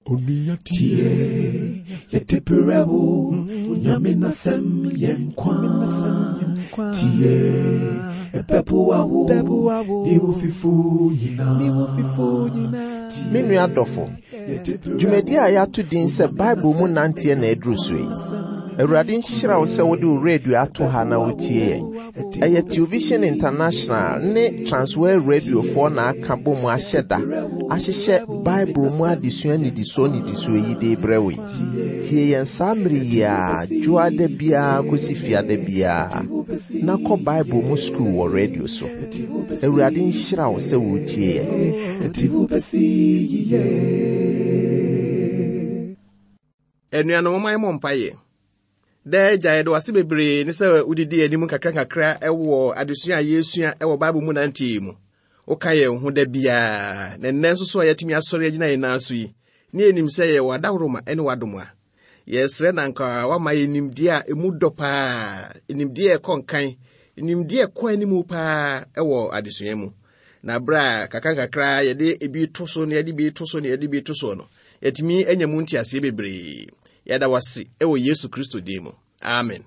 Tie, yɛde brɛ wo, Nyame n'asɛm yɛ nkwa. Tie, ɛbɛboa wo, ne wo fifo nyinaa. Me nua dɔfo, dwumadi a yɛato din sɛ Bible mu nanteɛ na aduru so yi. Awurade nhyira wo sɛ wode wo radio ato ha na wotie yɛn. Ɛyɛ Television International ne Transworld Radiofoɔ na aka bɔ mu ahyɛ da ahyehyɛ Bible mu adesua nnidisoɔ nnidisoɔ yi de rebrɛ wo yi. Tie yɛn saa mmere yi ara, dwoada biara kɔsi fiada biara, na kɔ Bible mu sukuu wɔ radio so. Awurade nhyira wo sɛ woretie yɛn. Anuanom, momma yɛmmɔ mpaeɛ. Daa Agya, yɛde wase bebree ne sɛ wodidi anim nkakrankakra wɔ adesua a yɛresua wɔ Bible mu nanteɛ yi mu. Woka yɛn ho da biara, na nnɛ nso so a yɛatumi asɔre agyina yɛn nan so yi, ne yɛnim sɛ yɛwɔ adaworoma ne w'adom a. Yɛsrɛ na anka woama yɛn nimdeɛ a emu dɔ paa, nimdeɛ a ɛkɔ nkan, nimdeɛ a ɛkɔ anim paa wɔ adesua mu. Na berɛ a kakrankakra yɛde ebi to so na yɛde bi to so na yɛde bi to soɔ no, yɛatumi anya mu nteaseɛ bebree. Yɛda wo ase wɔ Yesu Kristo din mu. Amen.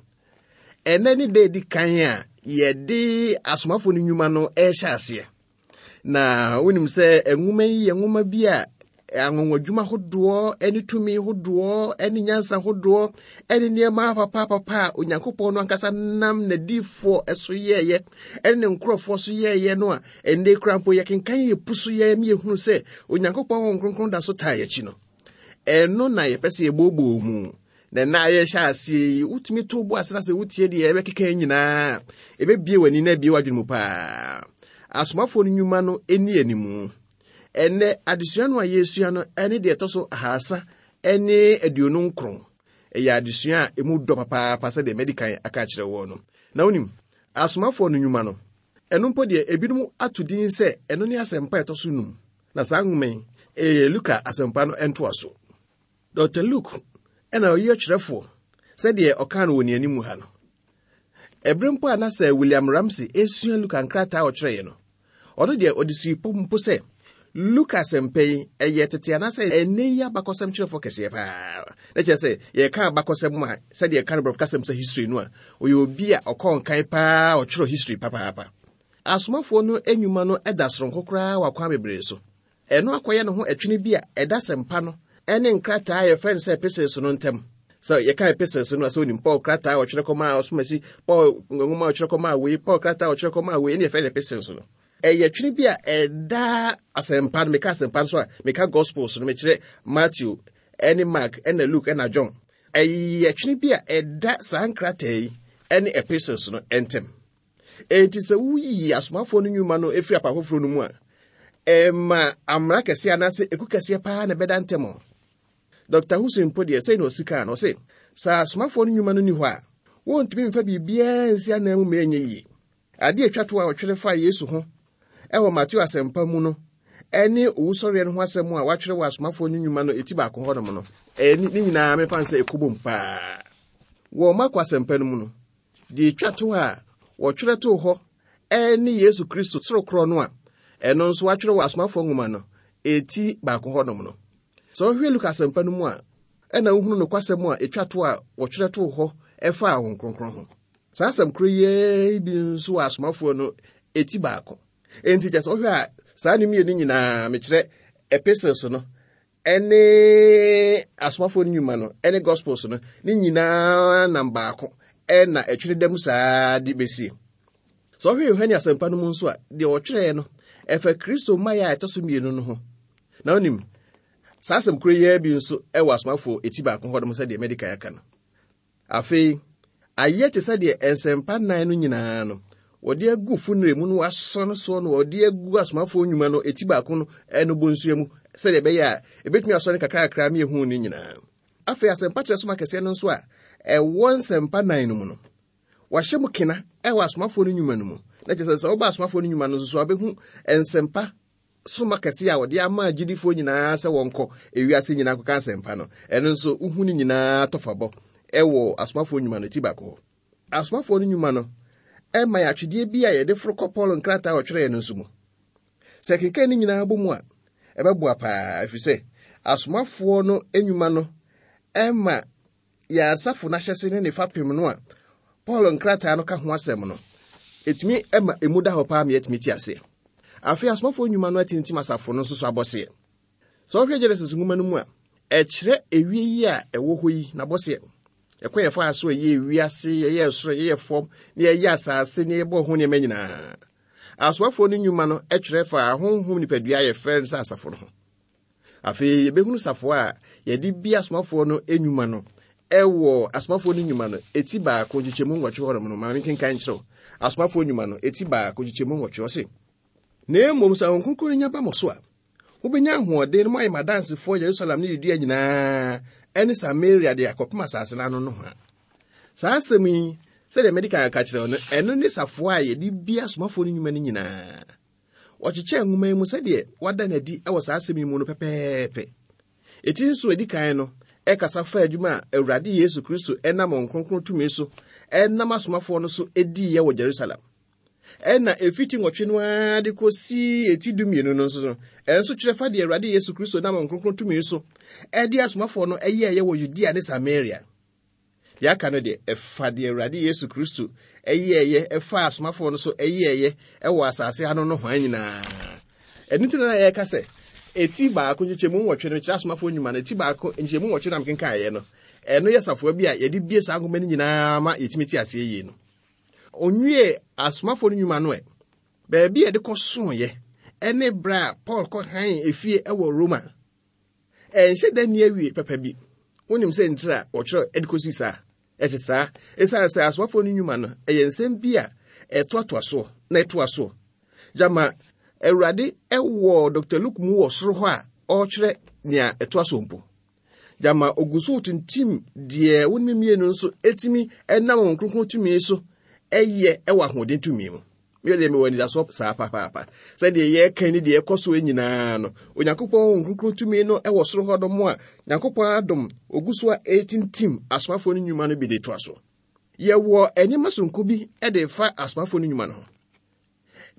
Ɛnɛ ne da edi kan a yɛde asomafo no nnwuma no rehyɛ aseɛ. Na wonim sɛ nwoma yi yɛ nwoma bi a anwanwadwuma hodoɔ ne tumi hodoɔ ne nyansa hodoɔ ne nneɛma papapapa a Onyankopɔn no ankasa nam n'adiyifoɔ so yɛɛyɛ ne ne nkurɔfoɔ so yɛɛyɛ no a ɛnnɛ kura mpo yɛkenkan yɛ pu so yɛ ne yɛhunu sɛ Onyankopɔn Honhom Kronkron da so taa yɛakyi no. Ɛno na yɛpɛ sɛ yɛbooboo mu. Na ɛna a yɛhyɛ aseɛ yi, wotumi to bo ase na sɛ wotie deɛ yɛbɛkeka nyinaa, ɛbɛbie w'ani na abie w'adwene mu paa. Asomafoɔ no nnwuma no ɛni animu. Ɛnnɛ, adesua no a yɛresua no ɛne deɛ ɛtɔ so 329. Ɛyɛ adesua a ɛmu dɔ papaapa sɛdeɛ madi kan aka akyerɛ wɔn no. Na wonim, asomafoɔ no nnwuma no, ɛno mpo deɛ ebinom ato din sɛ ɛno ne asɛmpa a ɛtɔ so num. Na saa nwoma yi, ɛyɛ Luka Asɛmpa no ntoaso. Dɔkta Luke na ɔyɛ ɔkyerɛfoɔ sɛdeɛ ɔkaa no wɔ nea anim ha no. Ɛberɛ mpo a na sɛ William Ramsey resua Luka nkrataa a ɔkyerɛeɛ no, ɔno deɛ ɔde sii pɔ mpo sɛ Luka asɛmpa yi ɛyɛ tete anaasɛ ɛnnɛ yi abakɔsɛm kyerɛfoɔ kɛseɛ paa. Na kyerɛ sɛ yɛka abakɔsɛm a sɛdeɛ ɛka no borɔfo kasɛm sɛ history no a, ɔyɛ obi a ɔkɔɔ nkan paa ɔtwerɛ history papaapa. Asomafoɔ no nnwuma no da soronko koraa wɔ akwan bebree so. Ɛno akɔyɛ ne ho ɛtwene bi a ɛda asɛmpa no ne nkrataa a yɛfrɛ no sɛ epistles no ntam. Sɛ yɛka epistles no a, sɛ onim Paul krataa a ɔtwerɛ kɔmaa ɔsomasi, Paul nwoma a ɔtwerɛ kɔmaa wei, Paul krataa a ɔtwerɛ kɔmaa wei, ɛne yɛfrɛ no epistles no. Ɛyɛ twene bi a ɛda asɛmpa no, meka asɛmpa no so a, meka gospels no, mekyerɛ Matthew, ɛne Mark, ɛna Luke, ɛna John. Ɛyɛ twene bi a ɛda saa nkrataa yi ne epistles no ntam. Enti sɛ woyiyi asomafoɔ no nnwuma no firi apa foforɔ no mu a, ɛma amena kɛseɛ anaasɛ eku kɛseɛ paa na ɛbɛda ntɛm. Dr. Hussein mpo deɛ sɛi na ɔsi kaa no, ɔse, sɛ asomafoɔ no nnwuma no nni hɔ a, wɔntumi mfa biribiara nsi anan mu ma ɛnyɛ yie. Adeɛ atwa to a ɔtwerɛ faa Yesu ho ɛwɔ Mateo asɛmpa mu no ɛne owusɔreɛ no ho asɛm a wɔatwerɛ wɔ asomafoɔ no nnwuma no eti baako hɔnom no, ɛne ne nyinaa mefa no sɛ ɛkɔbom paa. Wɔ Marko asɛmpa no mu no, Deɛ ɛtwa to a wɔtwerɛ too hɔ ne Yesu Kristo soro korɔ no a ɛno nso wɔatwerɛ wɔ Asomafoɔ nwoma no ɛti baako hɔnom no. Sɛ wohwɛ Luka asɛmpa no mu a, ɛna wohunu nokwasɛm a ɛtwa to a wɔtwerɛ too hɔ ɛfaa Honhom Kronkron ho. Saa asɛm koro yi bi nso wɔ Asomafoɔ no ɛti baako. Enti kyɛ sɛ wohwɛ a saa ne mmienu nyinaa mekyerɛ epistles no ɛne asomafoɔ no nnwuma no ɛne gospels no ne nyinaa nam baako ɛna ɛtwere dam saa de bɛsie sɛ ɔhwɛ yohane asɛmpa no mu nso a deɛ ɔtwerɛeɛ no ɛfa kristo mmaeɛ a ɛtɔ so mmienu no ho na wonim saa asɛm koro yi bi nso ɛwɔ asomafoɔ ɛti baako hɔ nom sɛdeɛ mɛdi kan aka no Afei, ayɛ te sɛ deɛ nsɛmpa nnan no nyinaa no, wɔde agu funere mu no wɔasɔ no soɔ no wɔde agu asomafoɔ nnwuma no eti baako no no bonsua mu sɛdeɛ ɛbɛyɛ a ɛbɛtumi asɔ no kakrakra ma yɛhu ne nyinaa. Afei asɛmpa kyerɛ soma kɛseɛ no nso a ɛwɔ nsɛmpa nnan no mu no, wɔahyɛ mu kena ɛwɔ asomafoɔ no nnwuma no mu. Na kyerɛ sɛ sɛ woba asomafoɔ no nnwuma no nso so a wobɛhu nsɛmpa soma kɛse a wɔde ama agyidifoɔ nyinaa sɛ wɔnkɔ ewiase nyinaa nkɔka asɛmpa no, ɛno nso wohu ne nyinaa tɔfabɔ ɛwɔ asomafoɔ nnwuma no ti baako hɔ. Asomafoɔ no nnwuma no ɛma yɛ atwedeɛ bi a yɛde foro kɔ Paul nkrataa a ɔtwerɛeɛ no nso mu. Sɛ kenkan ne nyinaa bɔ mu a, ɛbɛboa paa ɛfiri sɛ Asomafoɔ no nnwuma no ma yɛn asafo no ahyɛse ne ne fapem no a Paul nkrataa no ka ho asɛm no, ɛtumi ma emu da hɔ paa ma yɛtumi te aseɛ. Afei asomafoɔ nnwuma no atintim asafo no nso so abɔseɛ. Sɛ wohwɛ Genesis nwoma no mu a, ɛkyerɛ ewie yi a ɛwɔ hɔ yi n'abɔseɛ. Ɛkwan yɛfaa so ɛyɛ wiase, yɛyɛ soro, yɛyɛ fam, na yɛyɛ asase, na yɛbɔ ho nneɛma nyinaa. Asomafoɔ no nnwuma no kyerɛ fa honhom nipadua a yɛfrɛ no sɛ asafo no ho. Afei yɛbɛhunu safoa a yɛde bi asomafoɔ no nnwuma no ɛwɔ asomafoɔ no nnwuma no eti baako nkyekyɛmu nwɔtwe hɔnom no. Maame nkenkan nkyerɛw. Asomafoɔ nnwuma no eti baako nkyekyɛmu nwɔtwe ɔse, Na mmom sɛ Honhom Kronkron no nya ba mo so a, mobɛnya ahoɔden na moayɛ m'adansefoɔ Yerusalem ne Yudea nyinaa ne Samaria de akɔpem asase no ano nohoa. Saa asɛm yi, sɛdeɛ mede kan aka kyerɛ wo no, ɛno ne safoa a yɛde bi asomafoɔ no nnwuma no nyinaa. Wɔkyekyɛɛ nwoma yi mu sɛdeɛ wɔada no adi wɔ saa asɛm yi mu no pɛpɛɛpɛ. Eti nso edi kan no, ɛkasa fa adwuma a Awurade Yesu Kristo nam Honhom Kronkron tumi so nam asomafoɔ no so diiɛ wɔ Jerusalem. Ɛna efi ti nwɔtwe no ara de kɔsi eti dumienu no nso no, ɛnso kyerɛ fa deɛ Awurade Yesu Kristo nam Honhom Kronkron tumi so de asomafoɔ no yɛeɛ wɔ Yudea ne Samaria. Deɛ aka no deɛ, ɛfa deɛ Awurade Yesu Kristo yɛeɛ ɛfa asomafoɔ no so yɛeɛ wɔ asase ano nohoa nyinaa. Ɛno nti na yɛka sɛ, eti baako nkyekyɛmu nwɔtwe no kyerɛ asomafoɔ nnwuma no, eti baako nkyekyɛmu nwɔtwe na mekenkaeɛ no, ɛno yɛ safoa bi a yɛde bie saa nwoma no nyinaa ma yɛtumi te aseɛ yie no. Onwie asomafoɔ no nnwuma no ɛ, baabi a yɛde kɔsoeɛ ɛne berɛ a Paul kɔhan efie wɔ Roma. Ɛnhyɛ da nni awie papa bi. Wonim sɛ ntiri a wɔtwerɛ de kɔsi saa? Ɛte saa, ɛsiane sɛ asomafoɔ no nnwuma no ɛyɛ nsɛm bi a ɛtoatoa soɔ na ɛtoa soɔ. Gyama Awurade wɔ Dr. Luke mu wɔ soro hɔ a ɔretwerɛ nea ɛtoa soɔ mpo. Gyama ogu so retintim deɛ wo ne mmienu nso ɛtumi nam wɔn kronkron tumi so ɛyɛ ɛwɔ ahoɔden tumi mu. Me deɛ mewɔ anidasoɔ saa papaapa. Sɛdeɛ yɛreka ne deɛ ɛkɔ soɔ nyinaa no, Onyankopɔn Honhom Kronkron tumi no wɔ soro hɔ nom a Nyankopɔn adom ogu so a ɛretintim asomafoɔ no nnwuma no bi de toa so. Yɛwɔ nneɛma soronko bi de fa asomafoɔ no nnwuma no ho.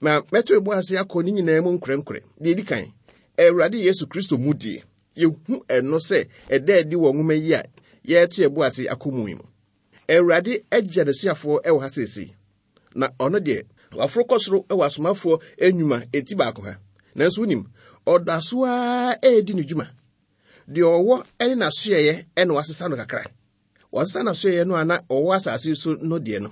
Na mɛto ebo ase akɔ ne nyinaa mu nkorɛnkorɛ. Deɛ ɛdi kan, Awurade Yesu Kristo mu die. Yɛhu ɛno sɛ ɛda adi wɔ nwoma yi a yɛreto ɛbo ase akɔ mu yi mu. Awurade agya n'asuafoɔ wɔ ha seesei. Na ɔno deɛ, waforo kɔ soro wɔ asomafoɔ nnwuma eti baako ha. Nanso wonim, ɔda so ara redi ne dwuma. Deɛ ɔwɔ ne n'asoɛeɛ na wasesa no kakra. Wasesa n'asoɛeɛ no a na ɔwɔ asase so no deɛ no.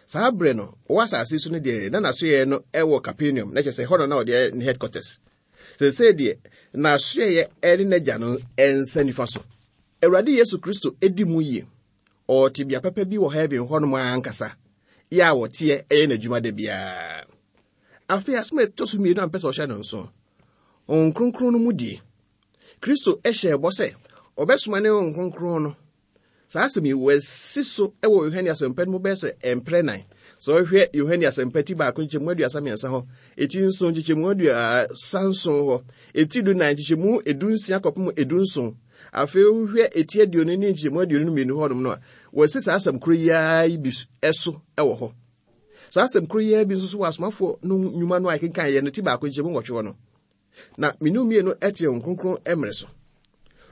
Saa berɛ no, ɔwɔ asase so no deɛ, na n'asoɛeɛ no wɔ Capernaum, na kyerɛ sɛ ɛhɔ na na ɔde ne headquarters. Seesei deɛ, n'asoɛeɛ ne n'agya no nsa nifa so. Awurade Yesu Kristo di mu yie. Ɔwɔ tebea papa bi wɔ heaven hɔnom ara ankasa, yɛ a wɔteɛ ɛyɛ n'adwuma da biara. Afei asɛm a ɛtɔ so mmienu a mpɛ sɛ ɔhyɛ no nso, Honhom Kronkron no mu die. Kristo hyɛɛ bɔ sɛ ɔbɛsoma ne Honhom Kronkron no. Saa asɛm yi wɔasi so wɔ Yohane Asɛmpa no mu bɛyɛ sɛ mprɛ nan. Sɛ ɔhwɛ Yohane Asɛmpa ti baako nkyekyɛmu 33 hɔ, eti nson nkyekyɛmu 37 hɔ, eti dunan nkyekyɛmu 16 kɔpem 17, Afei wohwɛ eti aduonu ne nkyɛmu aduonu no mmienu hɔnom no a, wɔasi saa asɛm koro yi ara yi bi so wɔ hɔ. Saa asɛm koro yi ara bi nso so wɔ asomafoɔ no nnwuma no a yɛkenkan yɛ no ti baako nkyɛmu nwɔtwe hɔ no. Na menu mmienu te Honhom Kronkron mmerɛ so.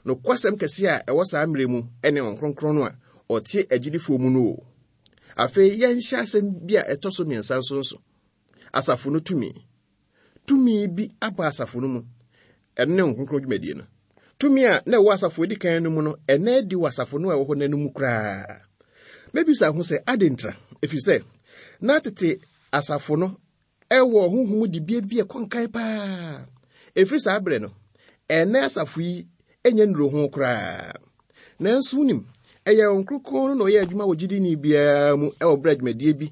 Nokwasɛm kɛseɛ a ɛwɔ saa mmerɛ mu ne Honhom Kronkron no a ɔte agyidifoɔ mu no o. Afei yɛnhyɛ asɛm bi a ɛtɔ so mmiɛnsa nso nso. Asafo no tumi. Tumi bi aba asafo no mu. Ɛno ne Honhom Kronkron dwumadie no. Tumi a na ɛwɔ asafo edi kan no mu no, ɛnna adi wɔ asafo no a ɛwɔ hɔ nnɛ no mu koraa. Mɛbisa ho sɛ, adɛn ntira? Ɛfiri sɛ, na tete asafo no ɛwɔ honhom mu dibea bi a ɛkɔ nkan paa. Ɛfiri saa berɛ no, ɛnnɛ asafo yi nyɛ nnuro ho koraa. Nanso wonim, ɛyɛ Honhom Kronkron no na ɔyɛ adwuma wɔ gyidini biara mu wɔ berɛ a dwumadie bi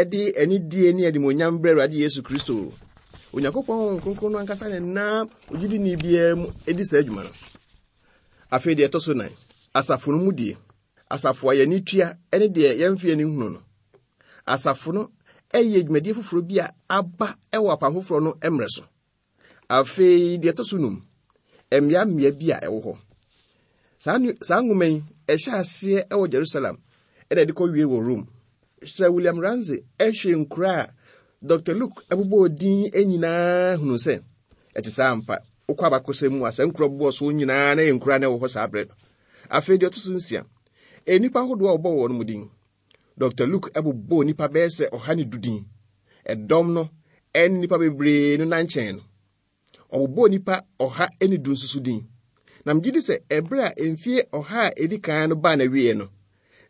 de anidie ne animuonyam brɛ Awurade Yesu Kristo. Onyankopɔn Honhom Kronkron no ankasa na ɛnam ogyidini biara mu di saa adwuma no. Afei deɛ ɛtɔ so nan, asafo no mu die. Asafo a yɛn ani tua ne deɛ yɛmfa yɛn ani nhunu no. Asafo no yɛ dwumadie foforɔ bi a aba wɔ apam foforɔ no mmerɛ so. Afei deɛ ɛtɔ so num, mmeammea bi a ɛwɔ hɔ. Saa saa nwoma yi, ɛhyɛ aseɛ wɔ Jerusalem ɛna ɛde kɔwie wɔ Rome. Sir William Ramsay hwɛ nkura a Dr. Luke bobɔɔ din nyinaa hunu sɛ ɛte saa ampa. Wokɔ abakɔsɛm mu a, saa nkuro a wɔbobɔɔ so nyinaa na ɛyɛ nkuro a na ɛwɔ hɔ saa berɛ no. Afei deɛ ɛto so nsia, nnipa ahodoɔ a wɔbɔɔ wɔn din. Dr. Luke bobɔɔ nnipa bɛyɛ sɛ 110 din. Ɛdɔm no ne nnipa bebree no nankyɛn no. Ɔbobɔɔ nnipa 110 nso so din. Na megye di sɛ ɛberɛ a mfie ɔha a ɛdi kan no baa n'awieɛ no,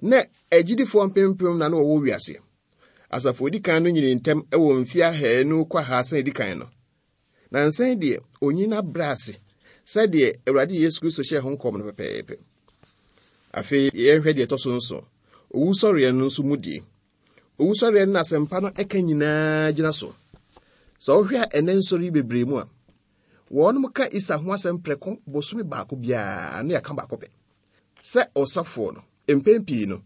na agyidifoɔ mpempem na na wɔwɔ wiase. Asafo a ɛdi kan no nyinii ntɛm wɔ mfie 200 kɔ 300 a ɛdi kan no. Nansa yi deɛ, onyin abrɛ ase sɛdeɛ Awurade Yesu Kristo hyɛɛ ho nkɔm no pɛpɛɛpɛ. Afei yɛnhwɛ deɛ ɛtɔ so nson, owusɔreɛ no nso mu die. Owusɔreɛ no na asɛmpa no ɛka nyinaa gyina so. Sɛ wohwɛ a ɛnɛ nsɔre yi bebree mu a, wɔnom ka Easter ho asɛm prɛko bosome baako biara na yɛaka baako pɛ. Sɛ ɔsɔfoɔ no, mpɛn pii no,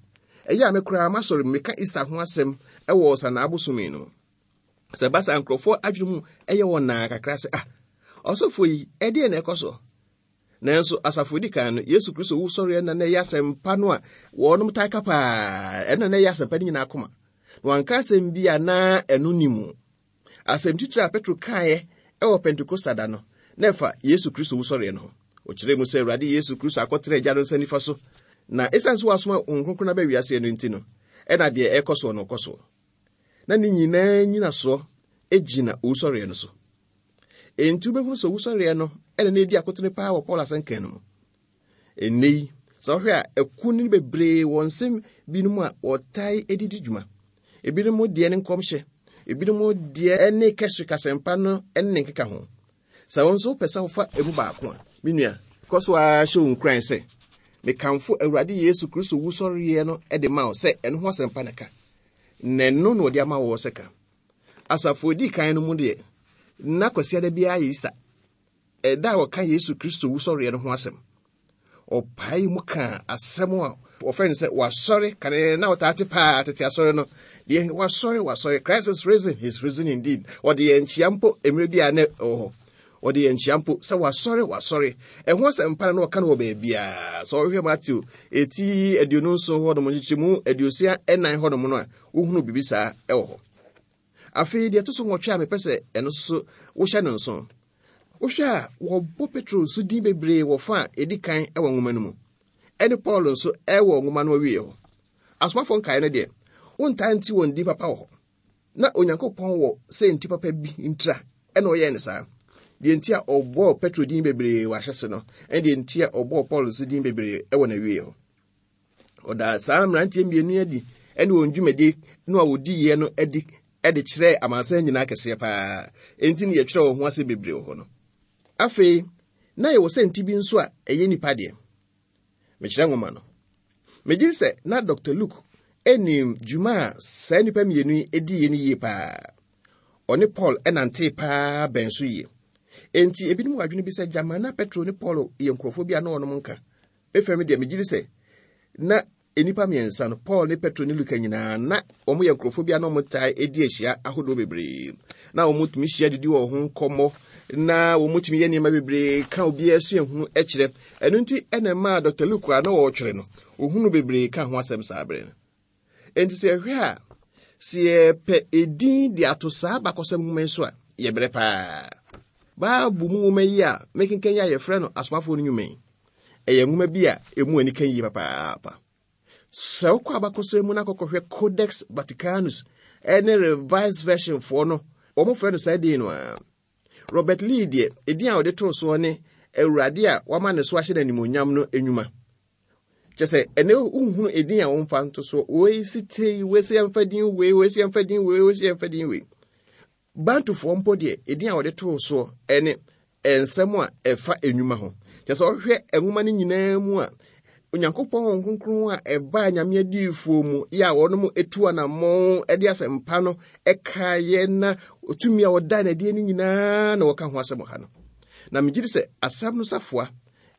ɛyɛ a me koraa m'asɔre mu meka Easter ho asɛm wɔ Ɔsanaa bosome no mu. Sɛ ɛba saa nkurɔfoɔ adwene mu yɛ wɔn naa kakra sɛ, ah, ɔsɔfoɔ yi, ɛdeɛn na ɛkɔ so? Nanso asafo di kan no, Yesu Kristo wusɔreɛ na na ɛyɛ asɛmpa no a wɔnom taa ka paa, ɛno na ɛyɛ asɛmpa no nyinaa koma. Na wanka asɛm bi a na ɛno ni mu. Asɛm titire a Petro kaeɛ wɔ Pentekosta da no, na ɛfa Yesu Kristo wusɔreɛ no ho. Ɔkyerɛɛ mu sɛ Awurade Yesu Kristo akɔtena Agya no nsa nifa so, na ɛsiane sɛ wasoma Honhom Kronkron aba wiase no nti no, ɛna deɛ ɛrekɔ soɔ no kɔ soɔ. Na ne nyinaa nyinasoɔ gyina owusɔreɛ no so. Enti wobɛhunu sɛ owusɔreɛ no ɛna na ɛdi akotene paa wɔ Paul asɛnka no mu. Ɛnnɛ yi, sɛ wohwɛ a, akunini bebree wɔ nsɛm binom a wɔtae de di dwuma. Ebinom deɛ ne nkɔmhyɛ, ebinom deɛ ne kɛse kasɛmpa no ne ne nkeka ho. Sɛ wo nso wopɛ sɛ wofa emu baako a, me nua, kɔ so ara hyɛ wo nkuran sɛ, mekamfo Awurade Yesu Kristo wusɔreɛ no de ma wo sɛ ɛno ho asɛmpa na ka. Na ɛno na ɔde ama wɔ sɛ ka. Asafo a edi kan no mu deɛ, na Kwasiada biara yɛ Easter, ɛda a wɔka Yesu Kristo wusɔreɛ no ho asɛm. Ɔpae mu kaa asɛm a wɔfrɛ no sɛ wasɔre kane na wɔtaa te paa tete asɔre no deɛ wasɔre wasɔre Christ is risen he is risen indeed. Wɔde yɛn nkyia mpo mmerɛ bi a na ɛwɔ hɔ. Wɔde yɛn nkyia mpo sɛ wasɔre wasɔre. Ɛho asɛmpa no na wɔka no wɔ baabiara. Sɛ wɔhwehwɛ Matthew eti 27 hɔnom nkyekyɛmu 64 hɔnom no a, wohunu biribi saa ɛwɔ hɔ. Afei deɛ ɛto so nwɔtwe a mepɛ sɛ ɛno nso wohyɛ no nso. Wohwɛ a wɔbɔ Petro nso din bebree wɔ fa a ɛdi kan wɔ nwoma no mu. Ɛne Paul nso ɛwɔ nwoma no awieɛ hɔ. Asomafoɔ nkaeɛ no deɛ, wontaa nte wɔn din papa wɔ hɔ. Na Onyankopɔn wɔ sɛ nti papa bi ntira ɛna ɔyɛɛ no saa. Deɛ nti a ɔbɔɔ Petro din bebree wɔ ahyɛse no, ɛne deɛ nti a ɔbɔɔ Paul nso din bebree wɔ n'awieɛ hɔ. Ɔdaa saa mmeranteɛ mmienu adi ne wɔn dwumadie no a wɔdiiɛ no adi de kyerɛɛ amansan nyinaa kɛseɛ paa. Enti ne yɛtwerɛ wɔn ho ase bebree wɔ hɔ no. Afei, na yɛwɔ sɛ nti bi nso a ɛyɛ nipa deɛ. Mekyerɛ nwoma no. Megye di sɛ na Dr. Luke nim dwuma a saa nnipa mmienu yi diiɛ no yie paa. Ɔne Paul nantee paa bɛn so yie. Enti ebinom wɔ adwene bi sɛ gyama na Petro ne Paul yɛ nkurɔfoɔ bi a na wɔnom nka. Me fam deɛ megye di sɛ na nnipa mmiɛnsa no, Paul ne Petro ne Luka nyinaa, na wɔyɛ nkurɔfoɔ bi a na wɔtaa di ahyia ahodoɔ bebree. Na wɔtumi hyia didi wɔn ho nkɔmmɔ, na wɔtumi yɛ nneɛma bebree ka obiara suahunu kyerɛ. Ɛno nti ɛna ɛmaa Dr. Luke a na ɔretwerɛ no, ɔhunu bebree ka ho asɛm saa berɛ no. Enti sɛ yɛhwɛ a, sɛ yɛpɛ edin de ato saa abakɔsɛm nwoma yi so a, yɛbrɛ paa. Bible mu nwoma yi a mekenkan yi a yɛfrɛ no Asomafoɔ no Nnwuma yi, ɛyɛ nwoma bi a emu ani ka yie papaapa. Sɛ wokɔ abakɔsɛm mu na kɔkɔhwɛ Codex Vaticanus ne Revised Version foɔ no, wɔfrɛ no saa din no ara. Robert Lee deɛ, edin a ɔde too soɔ ne Awurade a wama ne so ahyɛ no animuonyam no nnwuma. Kyɛ sɛ ɛnɛ wohunu edin a wɔmfa nto so, wei si tei, wei si yɛmfa din wei, wei si yɛmfa din wei, wei si yɛmfa din wei. Bantufoɔ mpo deɛ, edin a wɔde too soɔ ne nsɛm a ɛfa nnwuma ho. Kyerɛ sɛ ɔhwɛ nwoma no nyinaa mu a, Onyankopɔn Honhom Kronkron a ɛbaa Nyame adiyifoɔ mu yɛ a wɔnom etu anammɔn de asɛmpa no ɛkaeɛ na tumi a wɔda no adie no nyinaa na wɔka ho asɛm wɔ ha no. Na megye di sɛ asɛm no safoa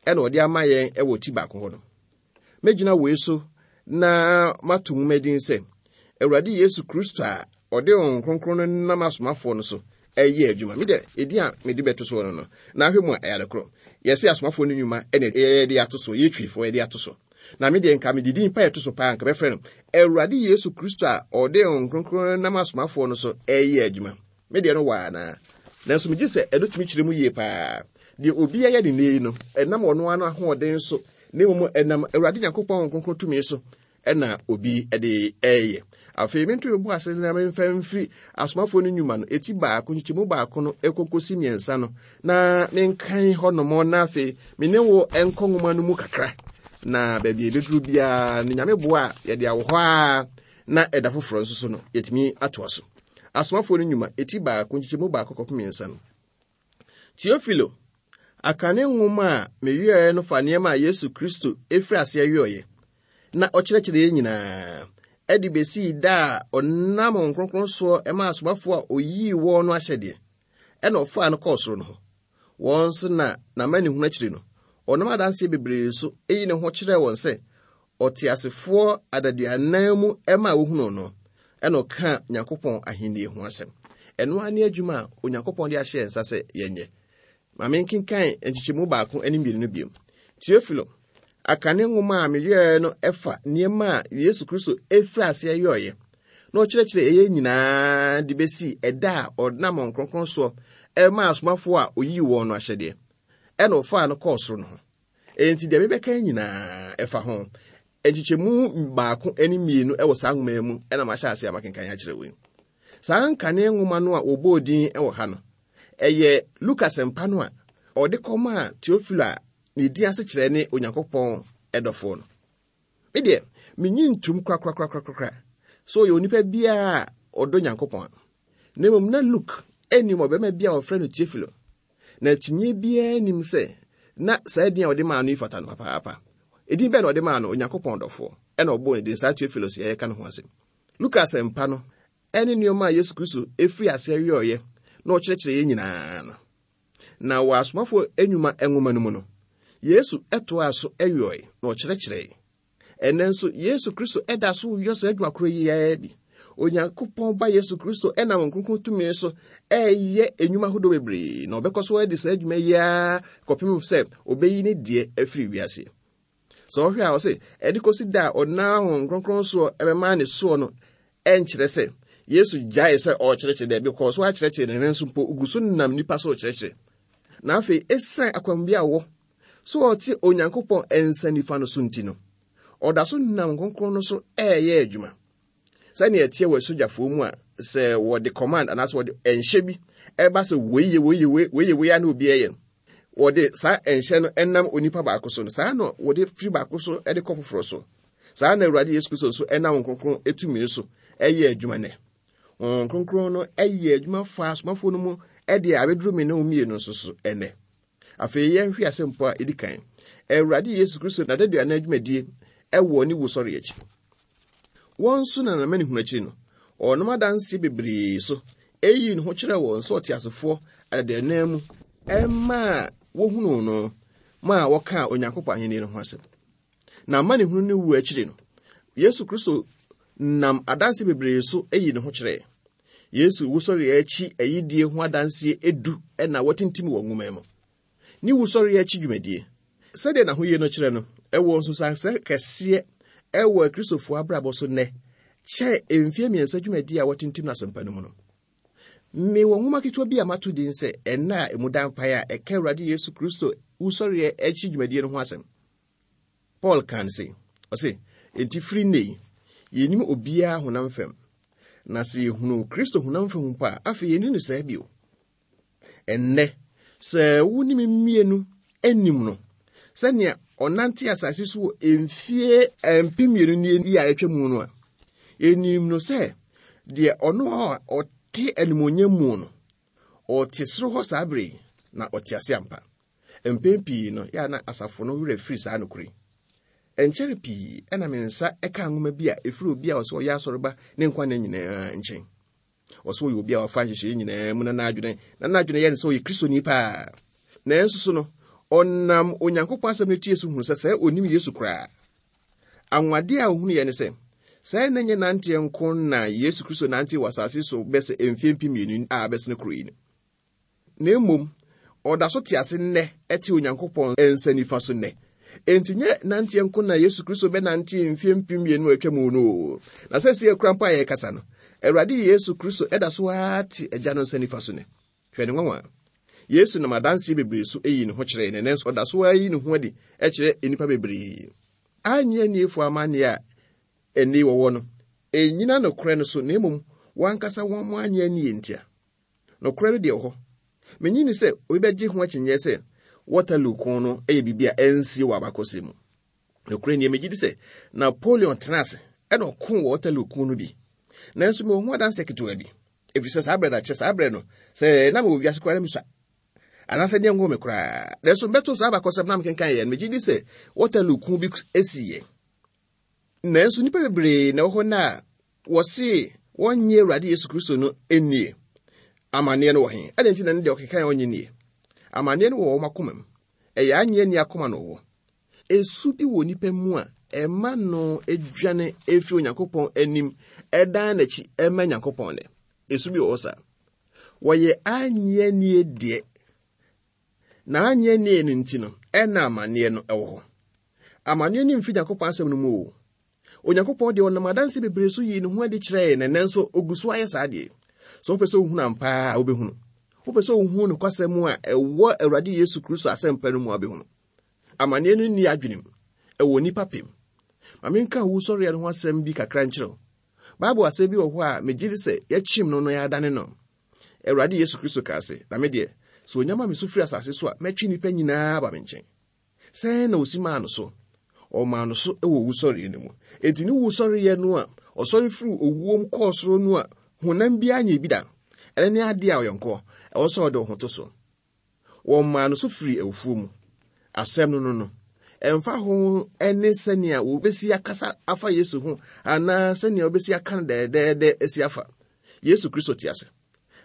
ɛna ɔde ama yɛn wɔ ti baako hɔ no. Mɛgyina wei so na mato nwoma din sɛ Awurade Yesu Kristo a ɔde Honhom Kronkron no nam asomafoɔ no so ɛyɛ adwuma. Me deɛ, edin a mede bɛto soɔ no no, na ahwɛ mu a ɛyɛ adekorɔ. Yɛse asomafoɔ no nnwuma ɛna yɛde ato so, yɛtwifoɔ yɛde ato so. Na me deɛ nka mede din pa ɛto so paa nka bɛfrɛ no Awurade Yesu Kristo a ɔde Honhom Kronkron no nam asomafoɔ no so ɛyɛ adwuma. Me deɛ no wɔ anaa? Nanso megye sɛ ɛno tumi kyerɛ mu yie paa. Deɛ obi yɛ ne nnɛ yi no, ɛnam ɔno ara ahoɔden so, na mmom ɛnam Awurade Nyankopɔn Honhom Kronkron tumi so ɛna obi de ɛyɛ. Afei mento me bo ase na memfa mfiri asomafoɔ no nnwuma no eti baako nkyekyɛmu baako no ɛkɔkɔsi mmiɛnsa no na menkan hɔnom na afei me ne wo nkɔ nwoma no mu kakra na baabi a ɛbɛduru biara no Nyame boa a yɛde awɔ hɔ a na ɛda foforɔ nso so no yɛtumi atoa so. Asomafoɔ no nnwuma eti baako nkyekyɛmu baako kɔpem mmiɛnsa no. Teofilo, akane nwoma a meyɔeɛ no fa nneɛma a Yesu Kristo firi aseɛ yɔeɛ na ɔkyerɛkyerɛeɛ nyinaa, ɛde bɛsii da a ɔnam Honhom Kronkron soɔ maa asomafoɔ a ɔyii wɔn no ahyɛdeɛ, ɛna ɔfaa no kɔɔ soro no ho. Wɔn nso na n'amanehunu akyiri no, ɔnam adanseɛ bebree so yi ne ho kyerɛɛ wɔn sɛ ɔteasefoɔ adaduanan mu ma wohunuu no, ɛna ɔkaa Nyankopɔn ahennie ho asɛm. Ɛno ara ne adwuma a Onyankopɔn de ahyɛ yɛn nsa sɛ yɛnyɛ. Ma menkenkan nkyekyɛmu baako ne mmienu no bio. Teofilo, akane nwoma a meyɔeɛ no fa nneɛma a Yesu Kristo firi aseɛ yɔeɛ na ɔkyerɛkyerɛ ɛyɛ nyinaa de bɛsii ɛda a ɔnam Honhom Kronkron soɔ ɛmaa asomafoɔ a ɔyii wɔn no ahyɛdeɛ, ɛna ɔfaa no kɔɔ soro no ho. Enti deɛ mebɛka nyinaa ɛfa ho. Nkyekyɛmu baako ne mmienu wɔ saa nwoma yi mu na mahyɛ ase a makenkan akyerɛ wo yi. Saa nkane nwoma no a wɔbɔɔ din wɔ ha no, ɛyɛ Luka Asɛmpa no a ɔde kɔmaa Teofilo a ne din ase kyerɛ ne Onyankopɔn dɔfoɔ no. Me deɛ, menyi ntom korakorakorakora sɛ ɔyɛ onipa biara a ɔdɔ Nyankopɔn a. Na mmom na Luke nim ɔbarima bi a wɔfrɛ no Teofilo. Na akyinnye biara nnim sɛ na saa din a wɔde maa no yi fata no papaapa. Edin bɛn na wɔde maa no? Onyankopɔn dɔfoɔ. Ɛna ɔbɔɔ ne din saa Teofilos yi a yɛreka ne ho asɛm. Luka Asɛmpa no ne nneɛma a Yesu Kristo firi aseɛ yɔeɛ na ɔkyerɛkyerɛeɛ nyinaa no. Na wɔ Asomafoɔ Nnwuma nwoma no mu no, Yesu toaa so yɔe na ɔkyerɛkyerɛe. Ɛnnɛ nso, Yesu Kristo da so yɔ saa adwuma koro yi ara bi. Onyankopɔn Ba Yesu Kristo nam Honhom Kronkron tumi so reyɛ nnwuma ahodoɔ bebree, na ɔbɛkɔ so adi saa adwuma yi ara kɔpem sɛ ɔbɛyi ne deɛ afiri wiase. Sɛ ɔhwɛ a, ɔse, ɛde kɔsi da a ɔnam Honhom Kronkron soɔ ɛbɛma ne soɔ no, ɛnkyerɛ sɛ Yesu gyae sɛ ɔrekyerɛkyerɛ, daabi, ɔkɔɔ so akyerɛkyerɛ, na nanso mpo ogu so nam nnipa so rekyerɛkyerɛ. Na afei, esiane akwanmu a ɔwɔ sɛ ɔte Onyankopɔn nsa nifa no so nti no, ɔda so nam Kronkron no so reyɛ adwuma. Sɛnea ɛteɛ wɔ asogyafoɔ mu a sɛ wɔde command anaasɛ wɔde nhyɛ bi ɛba sɛ wei yɛ wei yɛ wei wei yɛ wei a na obi ɛyɛ no, wɔde saa nhyɛ no ɛnam onipa baako so no, saa na wɔde firi baako so de kɔ foforɔ so. Saa na Awurade Yesu Kristo nso ɛnam Kronkron tumi so ɛyɛ adwuma nɛ. Honhom Kronkron no ɛyɛ adwuma fa asomafoɔ no mu ɛde abɛduru me ne wo mmienu nso so ɛnɛ. Afei yɛnhwɛ asɛmpɔ a edi kan, Awurade Yesu Kristo n'adaduanan dwumadie wɔ ne wusɔre akyi. Wɔn nso na n'amanehunu akyiri no, ɔnom adanseɛ bebree so eyii ne ho kyerɛɛ wɔn sɛ ɔteasefoɔ adaduanan mu maa wohunuu no maa wɔkaa Onyankopɔn ahenni no ho asɛm. Na amanehunu ne wu akyiri no, Yesu Kristo nam adanse bebree so eyi ne ho kyerɛɛ. Yesu wusɔre akyi ayidie ho adanseɛ edu na wɔatintim wɔ nwoma mu. Ne wusɔre akyi dwumadie, sɛdeɛ n'ahoyie no kyerɛ no, ɛwɔ nsunsuansoɔ kɛseɛ ɛwɔ Akristofoɔ abrabɔ so nnɛ kyɛn mfeɛ mmiɛnsa dwumadie a wɔatintim no asɛmpa no mu no. Mewɔ nwoma ketewa bi a mato din sɛ Ɛnna a Emu Da Mpaeɛ a ɛka Awurade Yesu Kristo wusɔreɛ akyi dwumadie no ho asɛm. Paul kaa no sei, ɔse, Enti firi nnɛ yi, yɛnnim obiara honam fam. Na sɛ yɛhunu Kristo honam fam mpo a, afei yɛnni no saa bio. Ɛnnɛ, sɛ wo ne me mmienu anim no, sɛnea ɔnante asase so wɔ mfie 2000 nie yi a atwa mu no a, yɛnim no sɛ deɛ ɔno a ɔte animuonyam mu no, ɔte soro hɔ saa bere yi, na ɔte ase ampa. Mpɛn pii no, yɛ a na asafo no werɛ firi saa nokorɛ yi. Ɛnkyɛre pii na me nsa kaa nwoma bi a ɛfiri obi a ɔsɛ ɔyɛ asɔreba ne nkwa nna nyinaa nkyɛn. Ɔsɛ ɔyɛ obi a wafa nhyehyɛeɛ nyinaa mu na n'adwene na n'adwene yɛ no sɛ ɔyɛ Kristoni paa. Nanso so no, ɔnam Onyankopɔn asɛm no tie so hunu sɛ sɛ ɔnim Yesu koraa. Anwanwadeɛ a ɔhunuiɛ ne sɛ, sɛ na nyɛ nanteɛ nko na Yesu Kristo nantee wɔ asase so bɛsɛ mfeɛ 2000 a abɛsene koro yi no. Na mmom, ɔda so te ase nnɛ te Onyankopɔn nsa nifa so nnɛ. Enti nyɛ nanteɛ nko na Yesu Kristo bɛnante mfeɛ 2000 a atwa mu no o. Na sɛsei koraa mpo a yɛrekasa no, Awurade Yesu Kristo da so ara te Agya no nsa nifa so nnɛ. Hwɛ ne nwanwa! Yesu nam adanseɛ bebree so yii ne ho kyerɛɛ na ɛnnɛ nso ɔda so ara yi ne ho adi kyerɛ nnipa bebree. Annye anniefo amanneɛ a ɛnnɛ yi wɔwɔ no, ɛnnyina nokorɛ no so na mmom wɔn ankasa wɔn annye annie ntia. Nokorɛ no deɛ wɔ hɔ. Mennye nni sɛ obi bɛgye ho akyinnyeɛ sɛ Waterloo ko no yɛ biribi a ɛnsie wɔ abakɔsɛm mu. Nokorɛ nie, megye di sɛ Napoleon tenaa ase ɛna ɔkoo wɔ Waterloo ko no bi. Nanso mewɔ ho adanseɛ ketewa bi, ɛfiri sɛ saa berɛ no akyɛ, saa berɛ no, sɛ na mewɔ wiase koraa na mesua, anaasɛ deɛ nwoo me koraa. Nanso mebɛtoo saa abakɔsɛm na mekenkan yɛ no, megye di sɛ Waterloo ko bi siiɛ. Nanso nnipa bebree na ɛwɔ hɔ nnɛ a wɔse wɔnnye Awurade Yesu Kristo no nnie. Amanneɛ no wɔ he? Adɛn nti na ne deɛ ɔkeka a ɔnnye nnie? Amanneɛ no wɔ wɔn akoma mu. Ɛyɛ annye anni akoma na ɔwɔ. Esu bi wɔ nipa mu a ɛma no dwane fi Onyankopɔn anim dan n'akyi ma Nyankopɔn nnɛ. Esu bi wɔ hɔ saa. Wɔyɛ annye annie deɛ, na annye annie no nti no, ɛna amanneɛ no wɔ hɔ. Amanneɛ no mfi Nyankopɔn asɛm no mu o. Onyankopɔn deɛ ɔnam adanse bebree so yii ne ho adi kyerɛɛ na ɛnnɛ nso ogu so ayɛ saa deɛ. Sɛ wopɛ sɛ wohunu ampa a wobɛhunu. Wopɛ sɛ wohunu nokwasɛm a ɛwɔ Awurade Yesu Kristo asɛmpa no mu a wobɛhunu. Amanneɛ no nni adwenem, ɛwɔ nnipa pem. Ma menka owusɔreɛ no ho asɛm bi kakra nkyerɛ wo. Bible asɛm bi wɔ hɔ a megye di sɛ yɛakyim no na yɛadane no. Awurade Yesu Kristo kaa se, Na me deɛ, sɛ onya ma me so firi asase so a, mɛtwe nnipa nyinaa aba me nkyɛn. Sɛn na osi maa no so? Ɔmaa no so wɔ owusɔreɛ no mu. Enti ne wusɔreɛ no a ɔsɔre firii owuom kɔɔ soro no a honam biara nyɛɛ bi da no, ɛno ne adeɛ a ɔyɔnkoɔ, ɛwɔ sɛ ɔde wo ho to so. Wɔmaa no so firii awufoɔ mu. Asɛm no no no, ɛmfa ho ne sɛnea wɔbɛsi akasa afa Yesu ho anaa sɛnea wɔbɛsi aka no dɛɛdɛɛdɛ asi afa, Yesu Kristo te ase.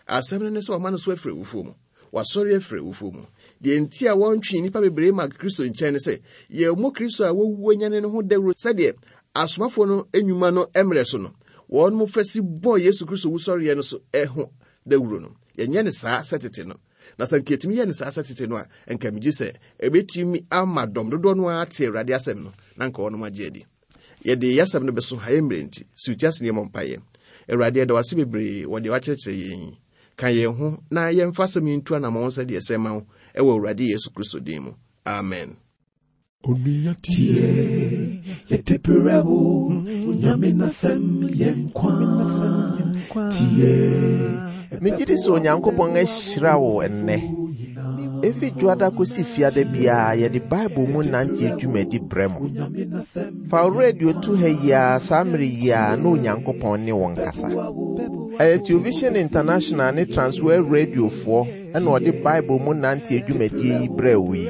Asɛm no ne sɛ wɔama no so afiri awufoɔ mu. Wasɔre afiri awufoɔ mu. Deɛ nti a wɔntwe nnipa bebree ma Kristo nkyɛn ne sɛ, yɛmmɔ Kristo a wawu anyane no ho dawuro sɛdeɛ asomafoɔ no nnwuma no mmerɛ so no, wɔn fa si bɔɔ Yesu Kristo wusɔreɛ no so ho dawuro no. Yɛnyɛ no saa sɛ tete no. Na sɛ nka yɛtumi yɛ no saa sɛ tete no a, nka megye sɛ ɛbɛtumi ama dɔm dodoɔ no ara ate Awurade asɛm no, na nka wɔnom agye adi. Yɛde yɛn asɛm no bɛso ha yɛ mmerɛ nti, si wo ti ase na yɛmmɔ mpaeɛ. Awurade, yɛda wo ase bebree wɔ deɛ woakyerɛkyerɛ yɛn yi. Ka yɛn ho na yɛmfa asɛm yi ntu anammɔn sɛdeɛ ɛsɛ ma wo, ɛwɔ Awurade Yesu Kristo din mu. Amen. Onua tie, yɛde brɛ wo, Onyame n'asɛm yɛ nkwa. Tie. Megye di sɛ Onyankopɔn ahyira wo ɛnnɛ. Efi Dwoada kosi Fiada biara yɛde Bible mu nante dwumadi brɛ mo. Fa wo radio to ha yi ara saa mmere yi ara na Onyankopɔn ne wo nkasa. Ɛyɛ Television International ne Transworld Radiofoɔ na ɔde Bible mu nante dwumadie yi brɛɛ wo yi.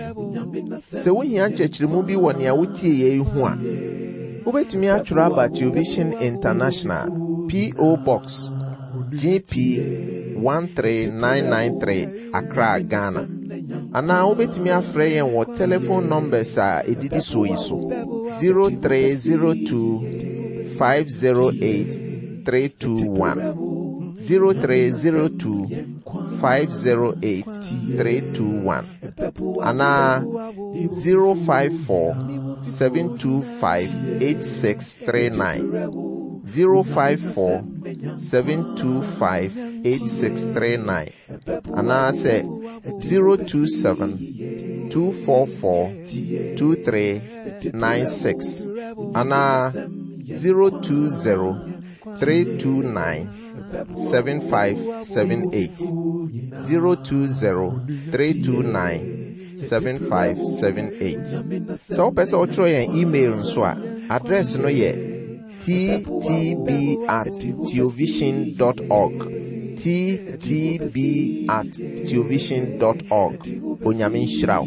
Sɛ wohia nkyerɛkyerɛmu bi wɔ nea wotieeɛ yi ho a, wobɛtumi atwerɛ aba Television International, P.O. Box, GP 13993, Accra, Ghana. Anaa wobɛtumi afrɛ yɛn wɔ telephone numbers a ɛdidi soɔ yi so 0302 508 321 0302 508 321 anaa 054 725 8639 054 725 8639 anaasɛ 027 244 2396 anaa 020 329 7578 020 329 7578. Sɛ wopɛ sɛ wotwerɛ yɛn email nso a, address no yɛ ttb at theovision dot org. ttb at theovision dot org. Onyame nhyira wo.